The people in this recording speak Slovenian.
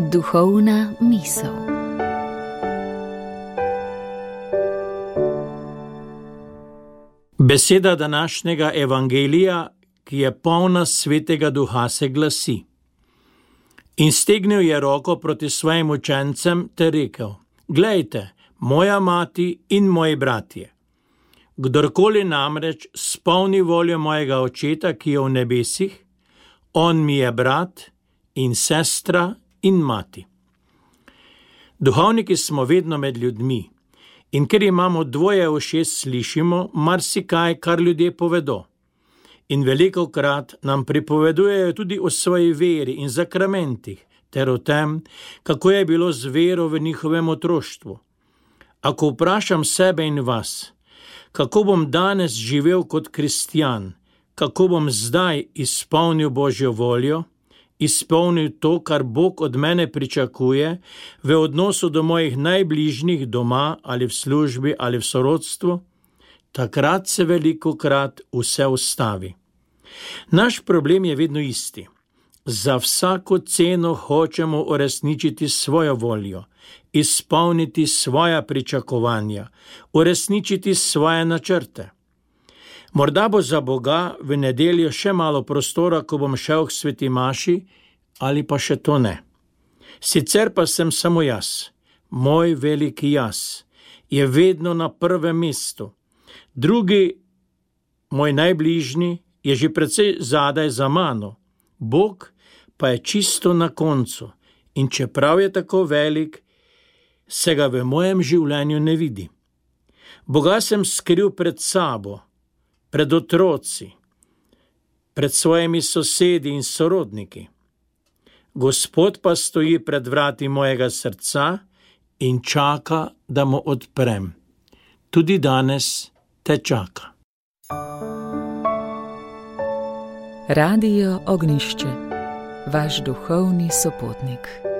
Duhovna misel. Beseda današnjega evangelija, ki je polna Svetega Duha, se glasi: In stegnil je roko proti svojim učencem ter rekel: Glejte, moja mati in moji bratje. Kdorkoli namreč spolni voljo mojega Očeta, ki je v nebesih, on mi je brat in sestra in mati. Duhovniki smo vedno med ljudmi, in ker imamo dvoje ušes, slišimo marsikaj, kar ljudje povedo. In velikokrat nam pripovedujejo tudi o svoji veri in zakramentih, ter o tem, kako je bilo z vero v njihovem otroštvu. Ako vprašam sebe in vas, kako bom danes živel kot kristjan, kako bom zdaj izpolnil Božjo voljo, izpolnil to, kar Bog od mene pričakuje v odnosu do mojih najbližjih doma ali v službi ali v sorodstvu, takrat se velikokrat vse ustavi. Naš problem je vedno isti. Za vsako ceno hočemo uresničiti svojo voljo, izpolniti svoja pričakovanja, uresničiti svoje načrte. Morda bo za Boga v nedeljo še malo prostora, ko bom šel k sveti maši, ali pa še to ne. Sicer pa sem samo jaz, moj veliki jaz, je vedno na prvem mestu. Drugi, moj najbližji, je že precej zadaj za mano. Bog pa je čisto na koncu in čeprav je tako velik, se ga v mojem življenju ne vidi. Boga sem skril pred sabo, pred otroci, pred svojimi sosedi in sorodniki. Gospod pa stoji pred vrati mojega srca in čaka, da mu odprem. Tudi danes te čaka. Radio Ognjišče, vaš duhovni sopotnik.